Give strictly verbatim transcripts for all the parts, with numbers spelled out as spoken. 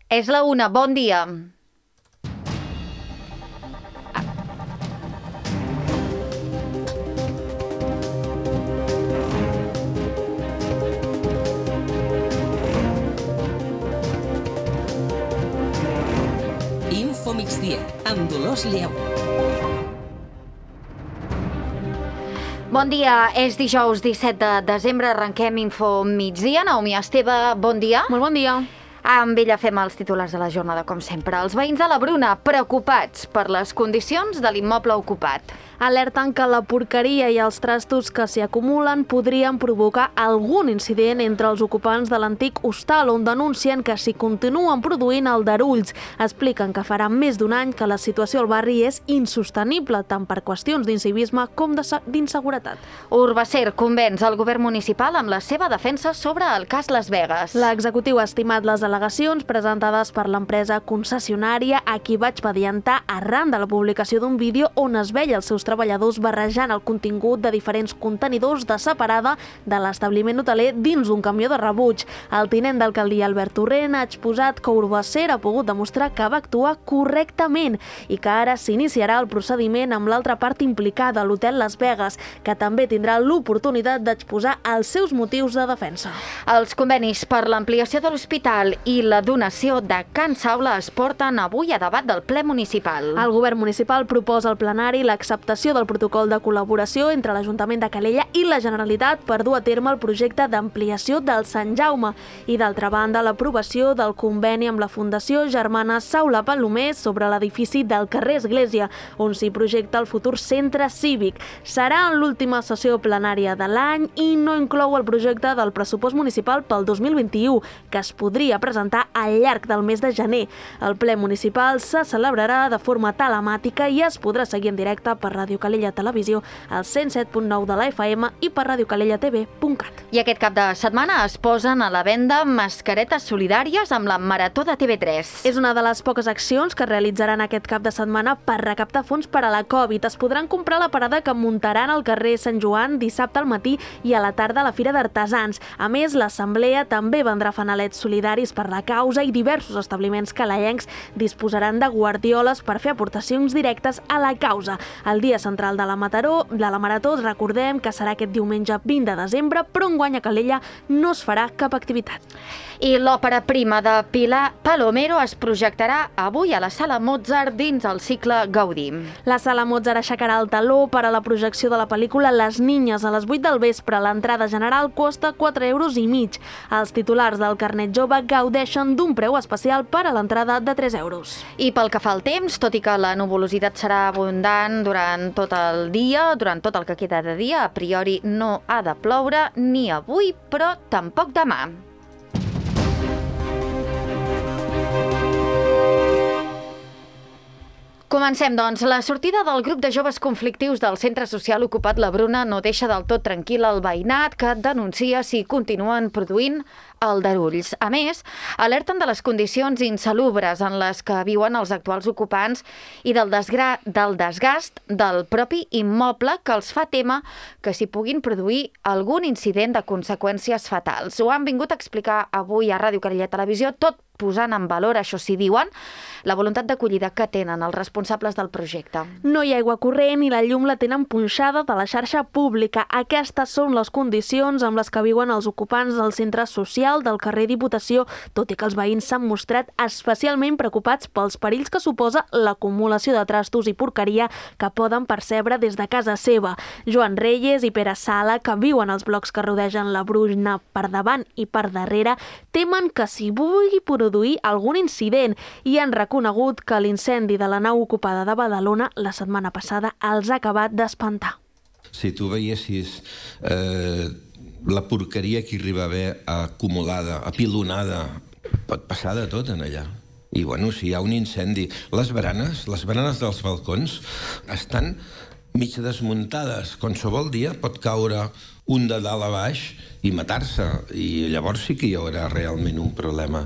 És la una, bon dia. Info migdia, amb Dolors Lleu. Bon dia, és dijous disset de desembre, arrenquem Info migdia. Naomi Esteve, bon dia. Molt bon dia. Amb ella fem els titulars de la jornada, com sempre. Els veïns de la Bruna, preocupats per les condicions de l'immoble ocupat. Alerten que la porqueria i els trastos que s'hi acumulen podrien provocar algun incident entre els ocupants de l'antic hostal, on denuncien que s'hi continuen produint aldarulls. Expliquen que farà més d'un any que la situació al barri és insostenible, tant per qüestions d'incivisme com d'inseguretat. Urbacer convenç el govern municipal amb la seva defensa sobre el cas Las Vegas. L'executiu ha estimat les al·legacions presentades per l'empresa concessionària, a qui vaig pediantar arran de la publicació d'un vídeo on es veia els seus treballadors barrejant el contingut de diferents contenidors de separada de l'establiment hoteler dins d'un camió de rebuig. El tinent d'alcaldia Albert Torrent ha exposat que Urbacer ha pogut demostrar que va actuar correctament i que ara s'iniciarà el procediment amb l'altra part implicada, l'hotel Las Vegas, que també tindrà l'oportunitat d'exposar els seus motius de defensa. Els convenis per l'ampliació de l'hospital i la donació de Can Saula es porten avui a debat del ple municipal. El govern municipal proposa al plenari l'acceptació del protocol de col·laboració entre l'Ajuntament de Calella i la Generalitat per dur a terme el projecte d'ampliació del Sant Jaume i, d'altra banda, l'aprovació del conveni amb la Fundació Germana Saula Palomé sobre l'edifici del carrer Església, on s'hi projecta el futur centre cívic. Serà en l'última sessió plenària de l'any i no inclou el projecte del pressupost municipal pel dos mil vint-i-u, que es podria presentar al llarg del mes de gener. El ple municipal se celebrarà de forma telemàtica i es podrà seguir en directe per Ràdio Calella Televisió, al cent set punt nou de la F M i per radiocalellatv punt cat. I aquest cap de setmana es posen a la venda mascaretes solidàries amb la Marató de T V tres. És una de les poques accions que realitzaran aquest cap de setmana per recaptar fons per a la Covid. Es podran comprar a la parada que muntaran al carrer Sant Joan dissabte al matí i a la tarda a la Fira d'Artesans. A més, l'Assemblea també vendrà fanalets solidaris per la causa i diversos establiments calellencs disposaran de guardioles per fer aportacions directes a la causa. El dia central de la Mataró, de la Marató, recordem que serà aquest diumenge vint de desembre, però enguany a Calella no es farà cap activitat. I l'òpera prima de Pilar Palomero es projectarà avui a la Sala Mozart dins el cicle Gaudí. La Sala Mozart aixecarà el taló per a la projecció de la pel·lícula Les Niñas a les vuit del vespre. L'entrada general costa quatre euros i mig. Els titulars del carnet jove gaudeixen d'un preu especial per a l'entrada de tres euros. I pel que fa al temps, tot i que la nuvolositat serà abundant durant tot el dia, durant tot el que queda de dia, a priori no ha de ploure ni avui, però tampoc demà. Comencem, doncs. La sortida del grup de joves conflictius del centre social ocupat La Bruna no deixa del tot tranquil el veïnat, que denuncia si continuen produint aldarulls. A més, alerten de les condicions insalubres en les que viuen els actuals ocupants i del, desgra... del desgast del propi immoble, que els fa témer que s'hi puguin produir algun incident de conseqüències fatals. Ho han vingut a explicar avui a Ràdio Calella Televisió, tot posant en valor, això sí diuen, la voluntat d'acollida que tenen els responsables del projecte. No hi ha aigua corrent i la llum la tenen punxada de la xarxa pública. Aquestes són les condicions amb les que viuen els ocupants del centre social del carrer Diputació, tot i que els veïns s'han mostrat especialment preocupats pels perills que suposa l'acumulació de trastos i porqueria que poden percebre des de casa seva. Joan Reyes i Pere Sala, que viuen als blocs que rodegen la Bruna per davant i per darrere, temen que s'hi vulgui produir algun incident i han reconegut que l'incendi de la nau ocupada de Badalona la setmana passada els ha acabat d'espantar. Si tu veiessis eh, la porqueria que arriba a haver acumulada, apilonada, pot passar de tot en allà. I bueno, si hi ha un incendi, les baranes, les baranes dels balcons estan mig desmuntades. Qualsevol dia pot caure un de dalt a baix i matar-se, i llavors sí que hi haurà realment un problema.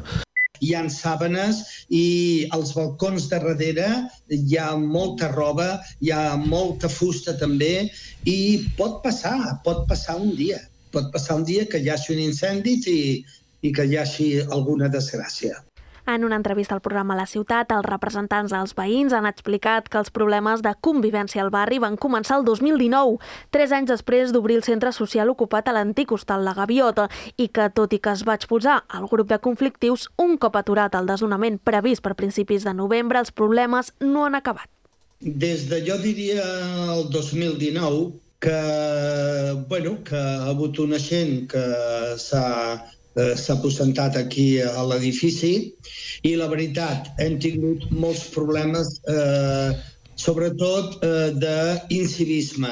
Hi ha sàbanes i als balcons de darrere hi ha molta roba, hi ha molta fusta també, i pot passar, pot passar un dia. Pot passar un dia que hi hagi un incendi i, i que hi hagi alguna desgràcia. En una entrevista al programa La Ciutat, els representants dels veïns han explicat que els problemes de convivència al barri van començar el dos mil dinou, tres anys després d'obrir el centre social ocupat a l'antic hostal La Gaviota, i que, tot i que es va expulsar el grup de conflictius, un cop aturat el desnonament previst per principis de novembre, els problemes no han acabat. Des de, jo diria, el dos mil dinou, que, bueno, que ha hagut una gent que s'ha s'ha aposentat aquí a l'edifici i la veritat, hem tingut molts problemes, eh, sobretot eh, d'incivisme.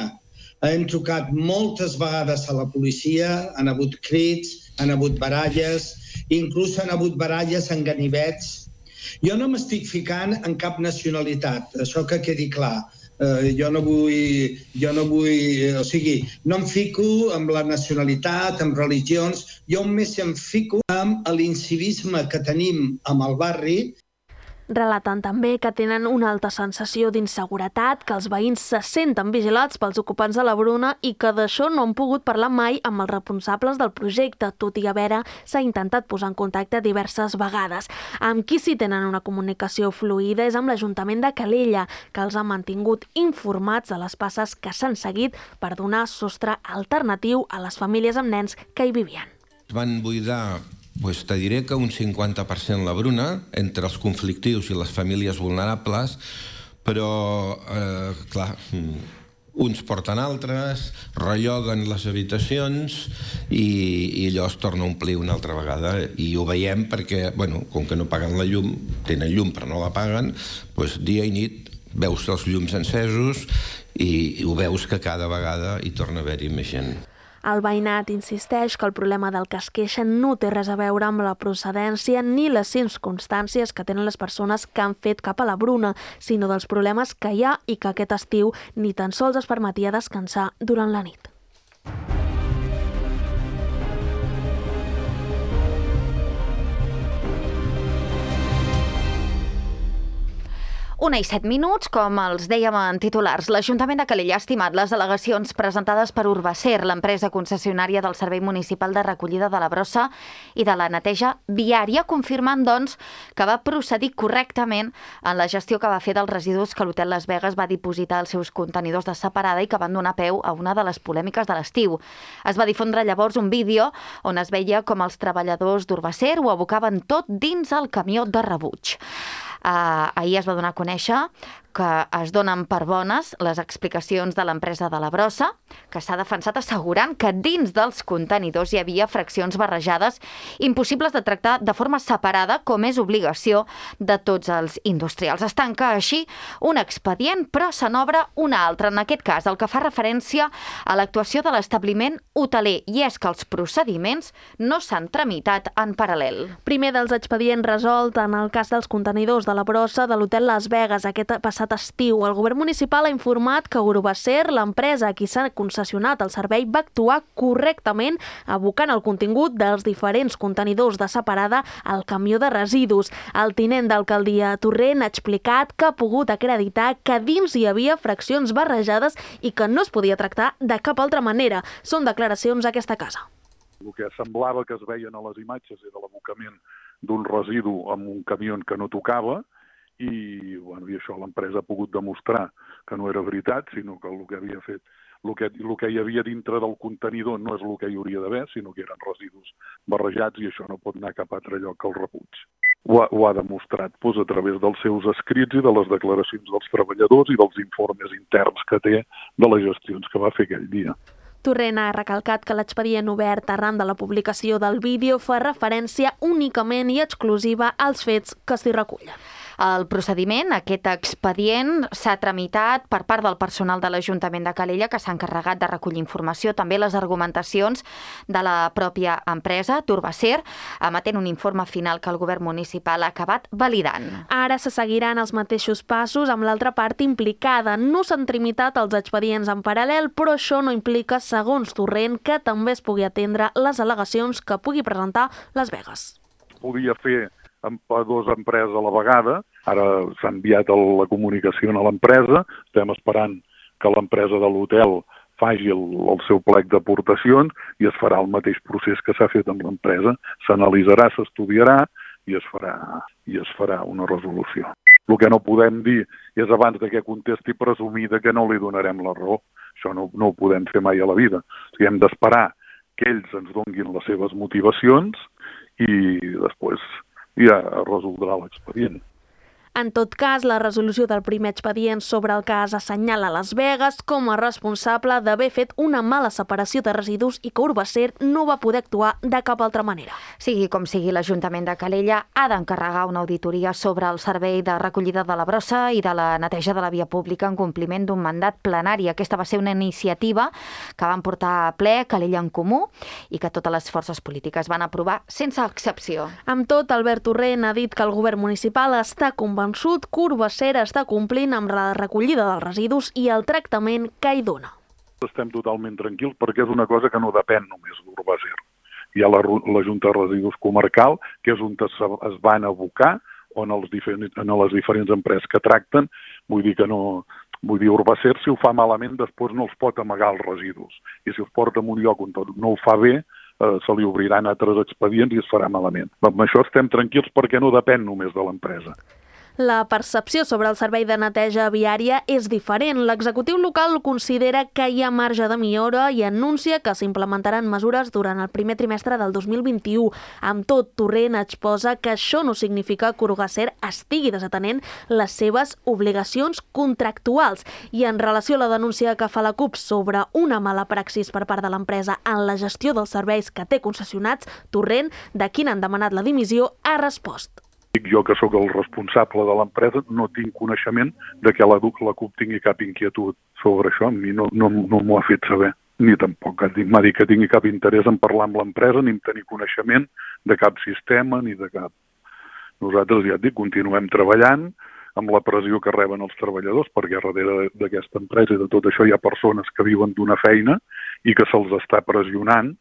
Hem trucat moltes vegades a la policia, han hagut crits, han hagut baralles, inclús han hagut baralles en ganivets. Jo no m'estic ficant en cap nacionalitat, això que quedi clar. Uh, jo no vull, jo no vull, o sigui, no em fico amb la nacionalitat, amb religions, jo més em fico amb l'incivisme que tenim amb el barri. Relaten també que tenen una alta sensació d'inseguretat, que els veïns se senten vigilats pels ocupants de la Bruna i que d'això no han pogut parlar mai amb els responsables del projecte, tot i haver s'ha intentat posar en contacte diverses vegades. Amb qui sí tenen una comunicació fluida és amb l'Ajuntament de Calella, que els ha mantingut informats de les passes que s'han seguit per donar sostre alternatiu a les famílies amb nens que hi vivien. Van buidar, pues te diré que un cinquanta per cent la Bruna, entre els conflictius i les famílies vulnerables, però, eh, clar, uns porten altres, relloguen les habitacions i, i allò es torna a omplir una altra vegada. I ho veiem perquè, bueno, com que no paguen la llum, tenen llum però no la paguen, doncs dia i nit veus els llums encesos i, i ho veus que cada vegada hi torna a haver-hi més gent. El veïnat insisteix que el problema del que es queixen no té res a veure amb la procedència ni les circumstàncies que tenen les persones que han fet cap a la Bruna, sinó dels problemes que hi ha i que aquest estiu ni tan sols es permetia descansar durant la nit. Una i set minuts, com els dèiem en titulars. L'Ajuntament de Calella ha estimat les al·legacions presentades per Urbacer, l'empresa concessionària del Servei Municipal de Recollida de la Brossa i de la Neteja Viària, confirmant, doncs, que va procedir correctament en la gestió que va fer dels residus que l'Hotel Las Vegas va dipositar als seus contenidors de separada i que van donar peu a una de les polèmiques de l'estiu. Es va difondre llavors un vídeo on es veia com els treballadors d'Urbacer ho abocaven tot dins el camió de rebuig. Uh, ahir es va donar a conèixer que es donen per bones les explicacions de l'empresa de la Brossa, que s'ha defensat assegurant que dins dels contenidors hi havia fraccions barrejades impossibles de tractar de forma separada, com és obligació de tots els industrials. Es tanca així un expedient, però se n'obre un altre, en aquest cas el que fa referència a l'actuació de l'establiment hoteler, i és que els procediments no s'han tramitat en paral·lel. Primer dels expedients resolt en el cas dels contenidors de la Brossa de l'Hotel Las Vegas aquest passat estiu. El govern municipal ha informat que Urbacer, l'empresa a qui s'ha concessionat el servei, va actuar correctament abocant el contingut dels diferents contenidors de separada al camió de residus. El tinent d'alcaldia Torrent ha explicat que ha pogut acreditar que dins hi havia fraccions barrejades i que no es podia tractar de cap altra manera. Són declaracions a aquesta casa. El que semblava que es veien a les imatges era l'abocament d'un residu amb un camió que no tocava, i, bueno, i això l'empresa ha pogut demostrar que no era veritat, sinó que el que havia fet, el que, el que hi havia dintre del contenidor no és el que hi hauria d'haver, sinó que eren residus barrejats i això no pot anar a cap altre lloc que el rebuig. Ho ha, ho ha demostrat doncs, a través dels seus escrits i de les declaracions dels treballadors i dels informes interns que té de les gestions que va fer aquell dia. Torrent ha recalcat que l'expedient obert arran de la publicació del vídeo fa referència únicament i exclusiva als fets que s'hi recullen. El procediment, aquest expedient, s'ha tramitat per part del personal de l'Ajuntament de Calella, que s'ha encarregat de recollir informació, també les argumentacions de la pròpia empresa, d'Urbacer, emetent un informe final que el govern municipal ha acabat validant. Ara se seguiran els mateixos passos amb l'altra part implicada. No s'han tramitat els expedients en paral·lel, però això no implica, segons Torrent, que també es pugui atendre les al·legacions que pugui presentar Las Vegas. Podia fer amb dues empreses a la vegada. Ara s'ha enviat la comunicació a l'empresa, estem esperant que l'empresa de l'hotel faci el, el seu plec d'aportacions i es farà el mateix procés que s'ha fet amb l'empresa. S'analitzarà, s'estudiarà i es farà, i es farà una resolució. El que no podem dir és, abans de que contesti, presumir de que no li donarem la raó. Això no, no ho podem fer mai a la vida. O sigui, hem d'esperar que ells ens donguin les seves motivacions i després ja resoldrà l'expedient. En tot cas, la resolució del primer expedient sobre el cas assenyala Las Vegas com a responsable d'haver fet una mala separació de residus i que Urbacer no va poder actuar de cap altra manera. Sigui com sigui, l'Ajuntament de Calella ha d'encarregar una auditoria sobre el servei de recollida de la brossa i de la neteja de la via pública en compliment d'un mandat plenari. Aquesta va ser una iniciativa que van portar a ple Calella en Comú i que totes les forces polítiques van aprovar sense excepció. Amb tot, Albert Torrent ha dit que el govern municipal està convençut convençut que Urbacer està complint amb la recollida dels residus i el tractament que hi dona. Estem totalment tranquils perquè és una cosa que no depèn només d'Urbacer. Hi ha la, la Junta de Residus Comarcal, que és on es van abocar, on els diferents, en les diferents empreses que tracten, vull dir que no... Vull dir, Urbacer, si ho fa malament, després no els pot amagar els residus. I si els porta en un lloc on no ho fa bé, eh, se li obriran altres expedients i es farà malament. Amb això estem tranquils perquè no depèn només de l'empresa. La percepció sobre el servei de neteja viària és diferent. L'executiu local considera que hi ha marge de millora i anuncia que s'implementaran mesures durant el primer trimestre del dos mil vint-i-u. Amb tot, Torrent exposa que això no significa que Urbacer estigui desatenent les seves obligacions contractuals. I en relació a la denúncia que fa la CUP sobre una mala praxis per part de l'empresa en la gestió dels serveis que té concessionats, Torrent, de qui n'han demanat la dimissió, ha respost. Dic jo que sóc el responsable de l'empresa, no tinc coneixement de que la, la CUP tingui cap inquietud sobre això. A mi no, no, no m'ho ha fet saber, ni tampoc m'ha dit que tingui cap interès en parlar amb l'empresa, ni en tenir coneixement de cap sistema, ni de cap... Nosaltres, ja et dic, continuem treballant amb la pressió que reben els treballadors, perquè darrere d'aquesta empresa i de tot això hi ha persones que viuen d'una feina i que se'ls està pressionant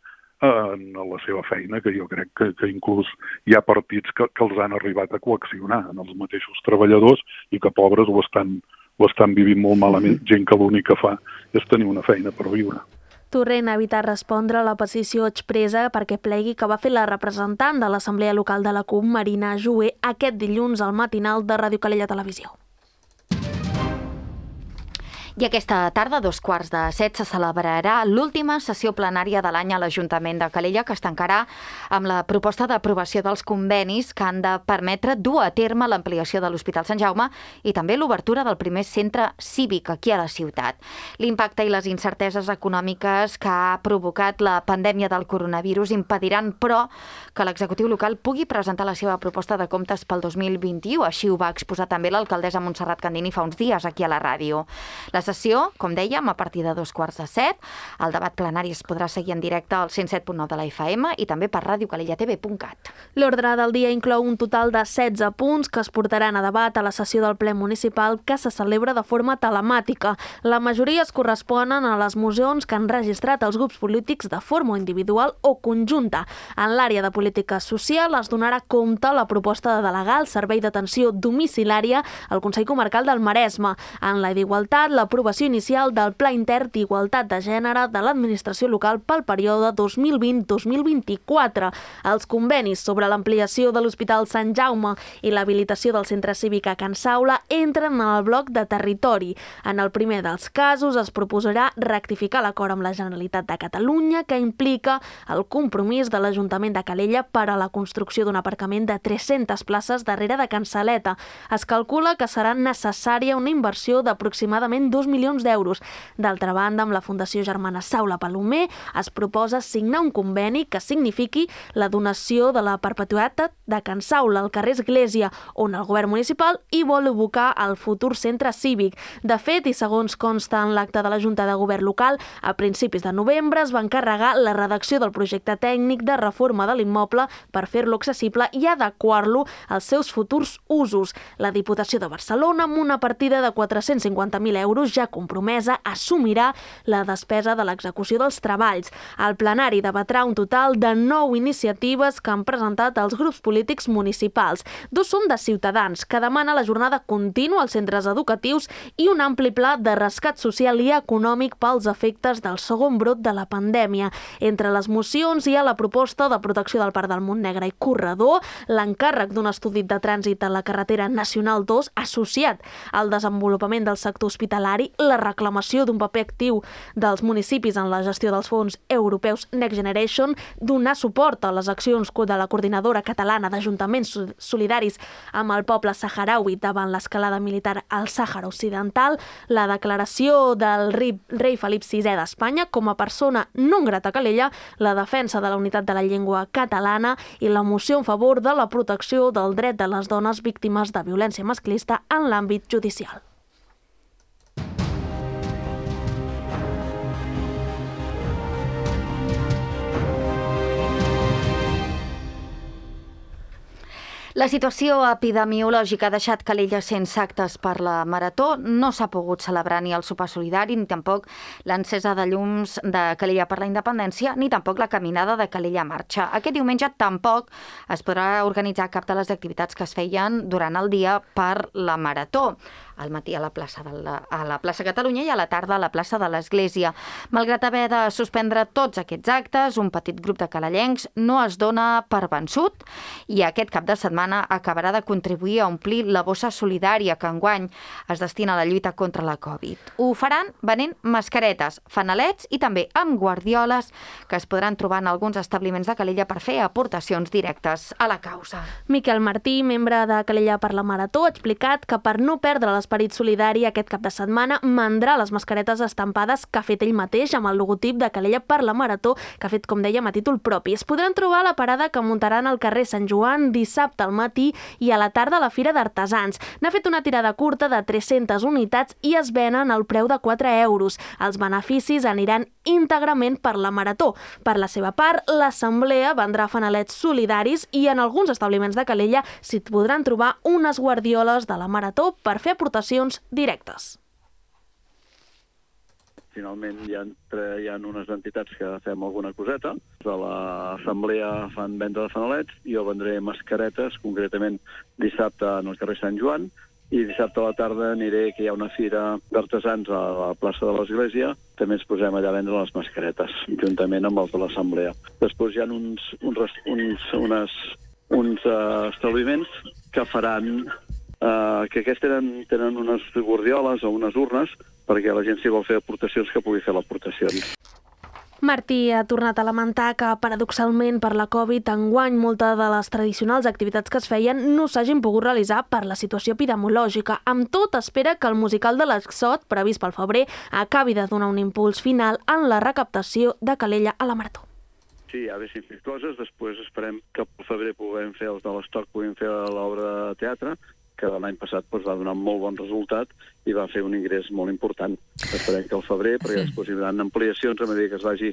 en la seva feina, que jo crec que, que inclús hi ha partits que, que els han arribat a coaccionar en els mateixos treballadors i que pobres ho estan, ho estan vivint molt malament, gent que l'únic que fa és tenir una feina per viure. Torrent ha evitat respondre a la petició expressa perquè plegui que va fer la representant de l'Assemblea Local de la CUP, Marina Joué, aquest dilluns al matinal de Ràdio Calella Televisió. I aquesta tarda, a dos quarts de set, se celebrarà l'última sessió plenària de l'any a l'Ajuntament de Calella, que es tancarà amb la proposta d'aprovació dels convenis que han de permetre dur a terme l'ampliació de l'Hospital Sant Jaume i també l'obertura del primer centre cívic aquí a la ciutat. L'impacte i les incerteses econòmiques que ha provocat la pandèmia del coronavirus impediran, però, que l'executiu local pugui presentar la seva proposta de comptes pel dos mil vint-i-u. Així ho va exposar també l'alcaldessa Montserrat Candini fa uns dies aquí a la ràdio. La sessió, com dèiem, a partir de dos quarts de set. El debat plenari es podrà seguir en directe al cent set punt nou de la F M i també per radio calella t v punt cat. L'ordre del dia inclou un total de setze punts que es portaran a debat a la sessió del ple municipal que se celebra de forma telemàtica. La majoria es corresponen a les mocions que han registrat els grups polítics de forma individual o conjunta. En l'àrea de política social es donarà compte la proposta de delegar el servei d'atenció domiciliària al Consell Comarcal del Maresme. En la d'igualtat, la l'aprovació inicial del Pla Intern d'Igualtat de Gènere de l'administració local pel període dos mil vint a dos mil vint-i-quatre, els convenis sobre l'ampliació de l'Hospital Sant Jaume i l'habilitació del Centre Cívic a Can Saula entren en el bloc de territori. En el primer dels casos es proposarà rectificar l'acord amb la Generalitat de Catalunya que implica el compromís de l'Ajuntament de Calella per a la construcció d'un aparcament de tres-centes places darrere de Can Saleta. Es calcula que serà necessària una inversió d'aproximadament dos milions d'euros. D'altra banda, amb la Fundació Germana Saula Palomer es proposa signar un conveni que signifiqui la donació de la perpetuïtat de Can Saula al carrer Església, on el govern municipal hi vol ubicar el futur centre cívic. De fet, i segons consta en l'acte de la Junta de Govern local, a principis de novembre es va encarregar la redacció del projecte tècnic de reforma de l'immoble per fer-lo accessible i adequar-lo als seus futurs usos. La Diputació de Barcelona, amb una partida de quatre-cents cinquanta mil euros, euros ja compromesa, assumirà la despesa de l'execució dels treballs. El plenari debatrà un total de nou iniciatives que han presentat els grups polítics municipals. Dos són de Ciutadans, que demana la jornada contínua als centres educatius i un ampli pla de rescat social i econòmic pels efectes del segon brot de la pandèmia. Entre les mocions hi ha la proposta de protecció del Parc del Montnegre i Corredor, l'encàrrec d'un estudi de trànsit a la carretera Nacional dos associat al desenvolupament del sector hospitalari, la reclamació d'un paper actiu dels municipis en la gestió dels fons europeus Next Generation, donar suport a les accions de la Coordinadora Catalana d'Ajuntaments Solidaris amb el poble saharaui davant l'escalada militar al Sàhara Occidental, la declaració del rei Felip sisè d'Espanya com a persona non grata a Calella, la defensa de la unitat de la llengua catalana i la moció en favor de la protecció del dret de les dones víctimes de violència masclista en l'àmbit judicial. La situació epidemiològica ha deixat Calella sense actes per la Marató. No s'ha pogut celebrar ni el sopar solidari, ni tampoc l'encesa de llums de Calella per la Independència, ni tampoc la caminada de Calella Marxa. Aquest diumenge tampoc es podrà organitzar cap de les activitats que es feien durant el dia per la Marató. Al matí a la plaça de la, a la plaça Catalunya i a la tarda a la plaça de l'Església. Malgrat haver de suspendre tots aquests actes, un petit grup de calellencs no es dona per vençut i aquest cap de setmana acabarà de contribuir a omplir la bossa solidària que enguany es destina a la lluita contra la Covid. Ho faran venent mascaretes, fanalets i també amb guardioles que es podran trobar en alguns establiments de Calella per fer aportacions directes a la causa. Miquel Martí, membre de Calella per la Marató, ha explicat que per no perdre les l'esperit solidari aquest cap de setmana mandrà les mascaretes estampades que ha fet ell mateix amb el logotip de Calella per la Marató, que ha fet, com dèiem, a títol propi. Es podran trobar a la parada que muntaran al carrer Sant Joan dissabte al matí i a la tarda a la Fira d'Artesans. N'ha fet una tirada curta de tres-centes unitats i es venen al preu de quatre euros. Els beneficis aniran íntegrament per la Marató. Per la seva part, l'Assemblea vendrà fanalets solidaris i en alguns establiments de Calella s'hi podran trobar unes guardioles de la Marató per fer aportacions directes. Finalment hi ha, hi ha unes entitats que fem alguna coseta. A l'assemblea fan venda de fanalets, jo vendré mascaretes, concretament dissabte en el carrer Sant Joan, i dissabte a la tarda aniré, que hi ha una fira d'artesans a la plaça de l'Església, també ens posem allà a vendre les mascaretes, juntament amb els de l'assemblea. Després hi ha uns, uns, uns, unes, uns uh, establiments que faran Uh, que aquests tenen, tenen unes guardioles o unes urnes perquè la gent, si vol fer aportacions, que pugui fer l'aportacions. Martí ha tornat a lamentar que, paradoxalment, per la Covid, enguany moltes de les tradicionals activitats que es feien no s'hagin pogut realitzar per la situació epidemiològica. Amb tot, espera que el musical de l'Exot, previst pel febrer, acabi de donar un impuls final en la recaptació de Calella a la Marató. Sí, ja haguéssim fet coses, després esperem que pel febrer puguem fer els de l'estoc, puguem fer l'obra de teatre, que l'any passat doncs, va donar molt bon resultat i va fer un ingrés molt important. Esperem que al febrer, perquè després hi haurà ampliacions a mesura que es vagi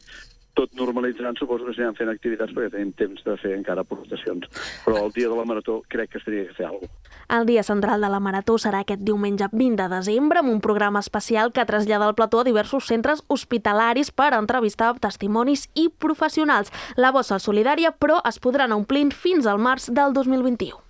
tot normalitzant, suposo que s'aniran fent activitats perquè tenim temps de fer encara aportacions. Però el dia de la Marató crec que estaria que fer alguna cosa. El dia central de la Marató serà aquest diumenge vint de desembre amb un programa especial que trasllada el plató a diversos centres hospitalaris per entrevistar testimonis i professionals. La bossa solidària, però, es podrà anar omplint fins al març del dos mil vint-i-u.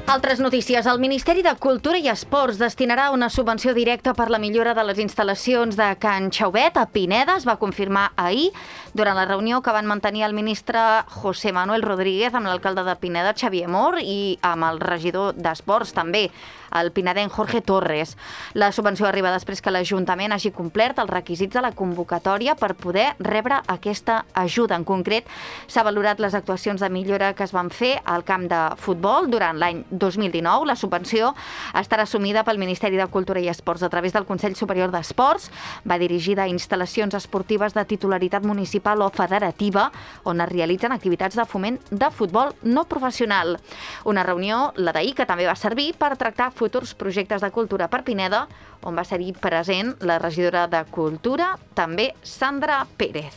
Altres notícies. El Ministeri de Cultura i Esports destinarà una subvenció directa per la millora de les instal·lacions de Can Xauvet a Pineda. Es va confirmar ahir durant la reunió que van mantenir el ministre José Manuel Rodríguez amb l'alcalde de Pineda, Xavier Mor, i amb el regidor d'Esports també, el pinedenc Jorge Torres. La subvenció arriba després que l'Ajuntament hagi complert els requisits de la convocatòria per poder rebre aquesta ajuda. En concret, s'ha valorat les actuacions de millora que es van fer al camp de futbol durant l'any dos mil dinou. La subvenció estarà assumida pel Ministeri de Cultura i Esports a través del Consell Superior d'Esports. Va dirigida a instal·lacions esportives de titularitat municipal o federativa on es realitzen activitats de foment de futbol no professional. Una reunió, la d'ahir, que també va servir per tractar futurs projectes de cultura per Pineda, on va ser present la regidora de Cultura, també Sandra Pérez.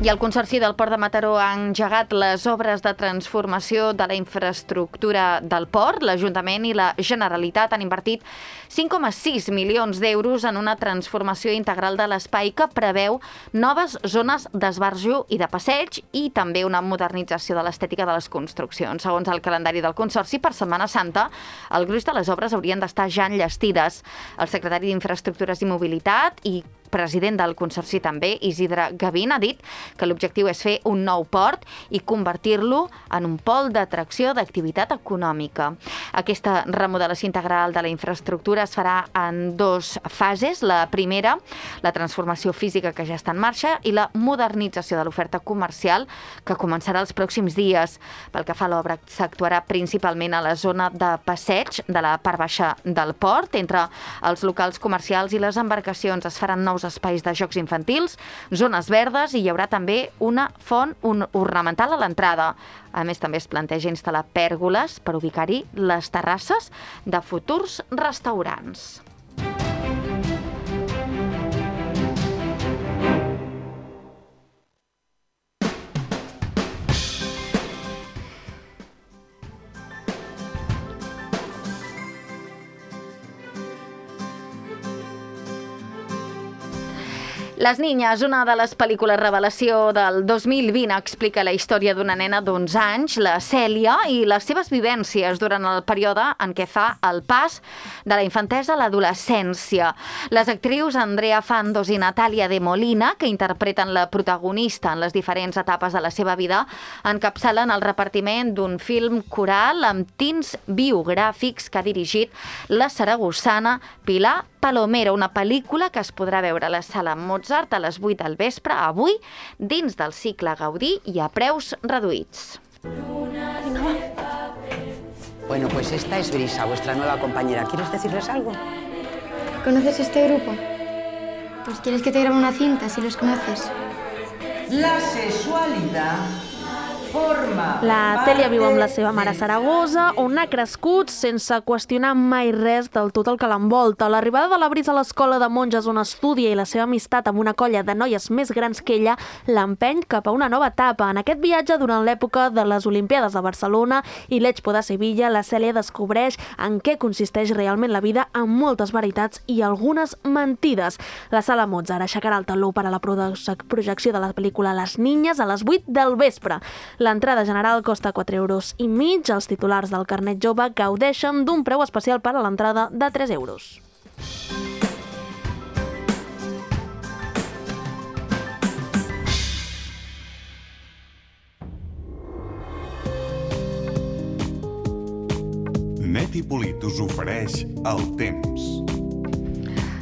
I el Consorci del Port de Mataró ha engegat les obres de transformació de la infraestructura del port. L'Ajuntament i la Generalitat han invertit cinc coma sis milions d'euros en una transformació integral de l'espai que preveu noves zones d'esbarjo i de passeig i també una modernització de l'estètica de les construccions. Segons el calendari del Consorci, per Setmana Santa, el gruix de les obres haurien d'estar ja enllestides. El secretari d'Infraestructures i Mobilitat i president del Consorci també, Isidre Gavín, ha dit que l'objectiu és fer un nou port i convertir-lo en un pol d'atracció d'activitat econòmica. Aquesta remodelació integral de la infraestructura es farà en dos fases. La primera, la transformació física que ja està en marxa, i la modernització de l'oferta comercial que començarà els pròxims dies. Pel que fa a l'obra, s'actuarà principalment a la zona de passeig de la part baixa del port. Entre els locals comercials i les embarcacions es faran nous espais de jocs infantils, zones verdes, i hi haurà també una font ornamental a l'entrada. A més, també es planteja instal·lar pèrgoles per ubicar-hi les terrasses de futurs restaurants. Les Niñas, una de les pel·lícules revelació del dos mil vint, explica la història d'una nena d'onze anys, la Cèlia, i les seves vivències durant el període en què fa el pas de la infantesa a l'adolescència. Les actrius Andrea Fandos i Natàlia de Molina, que interpreten la protagonista en les diferents etapes de la seva vida, encapçalen el repartiment d'un film coral amb tints biogràfics que ha dirigit la saragossana Pilar Palomero, una pel·lícula que es podrà veure a la Sala Mozart a les vuit del vespre, avui, dins del cicle Gaudí i a preus reduïts. Bueno, pues esta es Brisa, vuestra nueva compañera. ¿Quieres decirles algo? ¿Conoces este grupo? Pues quieres que te grabe una cinta si los conoces. La sexualidad forma... La Tèlia viu amb la seva mare a Saragossa, on ha crescut sense qüestionar mai res del tot el que l'envolta. L'arribada de la Brisa a l'escola de monges on estudia i la seva amistat amb una colla de noies més grans que ella l'empeny cap a una nova etapa. En aquest viatge, durant l'època de les Olimpíades de Barcelona i l'Expo de Sevilla, la Cèlia descobreix en què consisteix realment la vida, amb moltes veritats i algunes mentides. La Sala Mozart aixecarà el taló per a la projecció de la pel·lícula Les Niñas a les vuit del vespre. L'entrada general costa quatre euros i mig. Els titulars del carnet jove gaudeixen d'un preu especial per a l'entrada de tres euros. Neti Polit us ofereix el temps.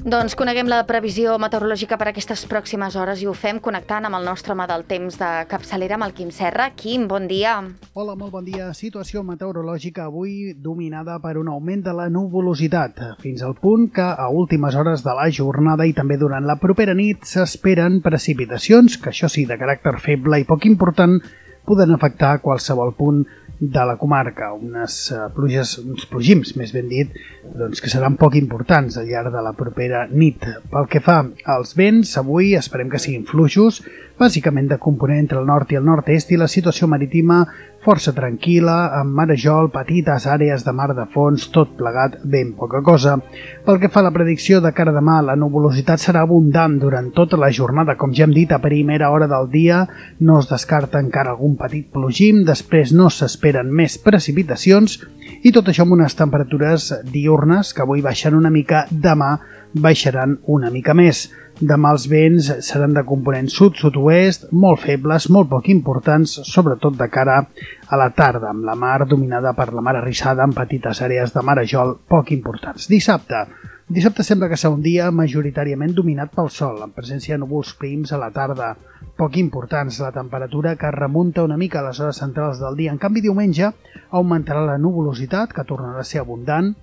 Doncs coneguem la previsió meteorològica per aquestes pròximes hores i ho fem connectant amb el nostre home del temps de capçalera, amb el Quim Serra. Quim, bon dia. Hola, molt bon dia. Situació meteorològica avui dominada per un augment de la nuvolositat, fins al punt que a últimes hores de la jornada i també durant la propera nit s'esperen precipitacions, que això sí, de caràcter feble i poc important, poden afectar qualsevol punt de la comarca, unes uh, pluges, uns plogims, més ben dit, doncs que seran poc importants al llarg de la propera nit. Pel que fa als vents, avui esperem que siguin fluixos, bàsicament de component entre el nord i el nord-est, i la situació marítima força tranquil·la, amb marejol, petites àrees de mar de fons, tot plegat ben poca cosa. Pel que fa a la predicció de cara a demà, la nuvolositat serà abundant durant tota la jornada. Com ja hem dit, a primera hora del dia no es descarta encara algun petit plogim, després no s'esperen més precipitacions, i tot això amb unes temperatures diürnes que avui baixen una mica, demà baixaran una mica més. Demà els vents seran de component sud-sud-oest, molt febles, molt poc importants, sobretot de cara a la tarda, amb la mar dominada per la mar arrissada amb petites àrees de marejol poc importants. Dissabte. Dissabte sembla que serà un dia majoritàriament dominat pel sol, amb presència de núvols prims a la tarda, poc importants. La temperatura que remunta una mica a les hores centrals del dia. En canvi, diumenge augmentarà la nuvolositat, que tornarà a ser abundant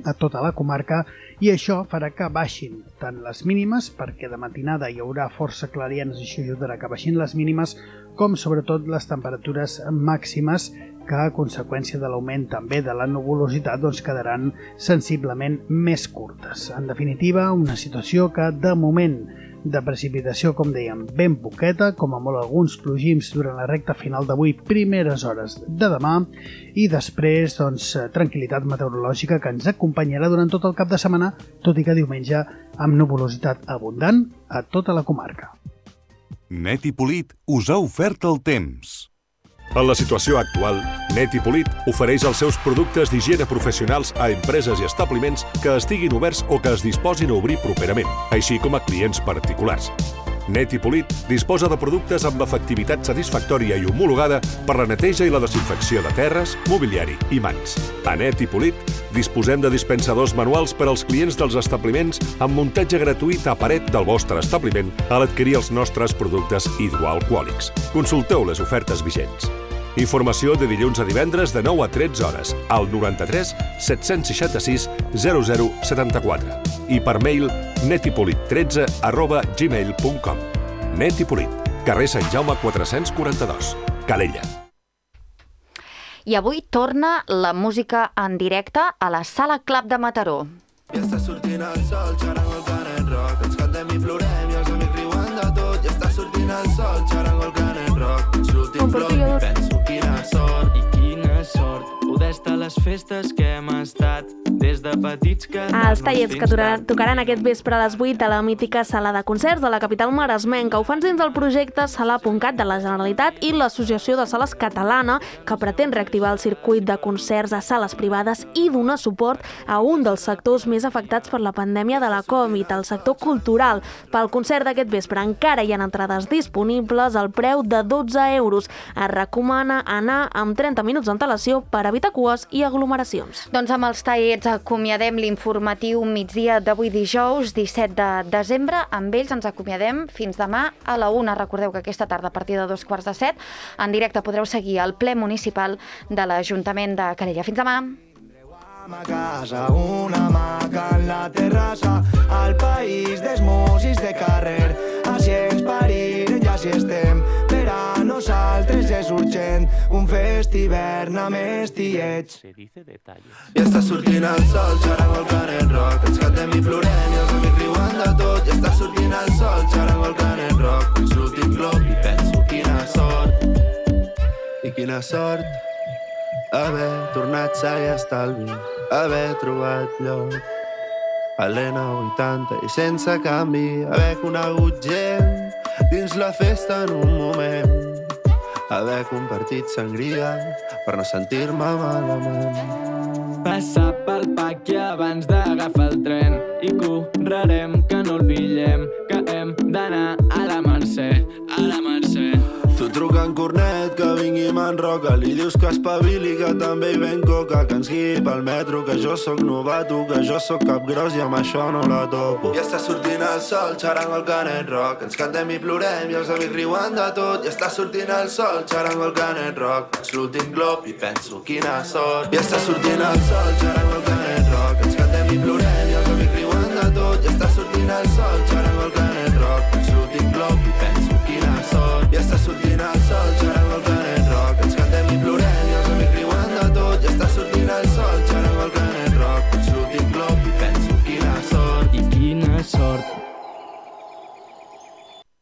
a tota la comarca, i això farà que baixin tant les mínimes, perquè de matinada hi haurà força clarianes i això ajudarà que baixin les mínimes, com sobretot les temperatures màximes, que a conseqüència de l'augment també de la nuvolositat doncs quedaran sensiblement més curtes. En definitiva, una situació que de moment de precipitació, com dèiem, ben poqueta, com a molt alguns plogims durant la recta final d'avui, primeres hores de demà, i després, doncs, tranquil·litat meteorològica que ens acompanyarà durant tot el cap de setmana, tot i que diumenge amb nuvolositat abundant a tota la comarca. Net i Polit us ha ofert el temps. En la situació actual, Net i Polit ofereix els seus productes d'higiene professionals a empreses i establiments que estiguin oberts o que es disposin a obrir properament, així com a clients particulars. Net i Polit disposa de productes amb efectivitat satisfactòria i homologada per la neteja i la desinfecció de terres, mobiliari i mans. A Net i Polit disposem de dispensadors manuals per als clients dels establiments amb muntatge gratuït a paret del vostre establiment a l'adquirir els nostres productes hidroalcohòlics. Consulteu les ofertes vigents. Informació de dilluns a divendres de nou a tretze hores al noranta-tres set-cents seixanta-sis zero zero setanta-quatre i per mail netipolit tretze arroba gmail punt com. Net i Polit, carrer Sant Jaume quatre-cents quaranta-dos, Calella. I avui torna la música en directe a la Sala Club de Mataró. Ja està sortint el sol, xarango el canet rock, ens cantem i plorem i els amics riuen de tot. Ja està sortint el sol, xarango el canet rock, és l'últim bloc i penso quina sort. I quina sort poder estar a les festes que hem estat des de petits que... Els tallers que tocaran aquest vespre a les vuit a la mítica sala de concerts de la capital maresmenca ho fan dins del projecte Sala punt cat de la Generalitat i l'Associació de Sales Catalana, que pretén reactivar el circuit de concerts a sales privades i donar suport a un dels sectors més afectats per la pandèmia de la Covid, el sector cultural. Pel concert d'aquest vespre encara hi ha entrades disponibles al preu de dotze euros. Es recomana anar amb trenta minuts d'antelació per evitar cues i aglomeracions. Doncs amb els tallers acomiadem l'informatiu migdia d'avui dijous, disset de desembre. Amb ells ens acomiadem fins demà a la una. Recordeu que aquesta tarda, a partir de dos quarts de set, en directe podreu seguir el ple municipal de l'Ajuntament de Calella. Fins demà. A casa, una hamaca en la terrassa, al país dels músics de carrer. Així ens parim, ja si estem, per a nosaltres és urgent un fest hivern amb estiets. Ja està sortint el sol, xarango el canet rock, ens cantem i plorem i els amics riuen de tot. Ja està sortint el sol, xarango el canet rock, és l'últim glob i penso quina sort. I quina sort haver tornat sa i estalvi, haver trobat lloc a l'E vuitanta i sense canvi, haver conegut gent dins la festa en un moment, haver compartit sangria per no sentir-me malament. Passar pel paqui abans d'agafar el tren i correrem que no el pillem, que hem d'anar a la Mercè, a la Mercè. Tu truca en Cornet que vingui i m'enroca, li dius que espavili, que també hi ven coca, que ens guiï pel metro, que jo sóc novato, que jo sóc capgros i amb això no la toco. Ja està sortint el sol, xarango el canet rock, ens cantem i plorem i els amics riuen de tot. Ja està sortint el sol, xarango el canet rock, és l'últim glob i penso quina sort. Ja està sortint el sol, xarango el canet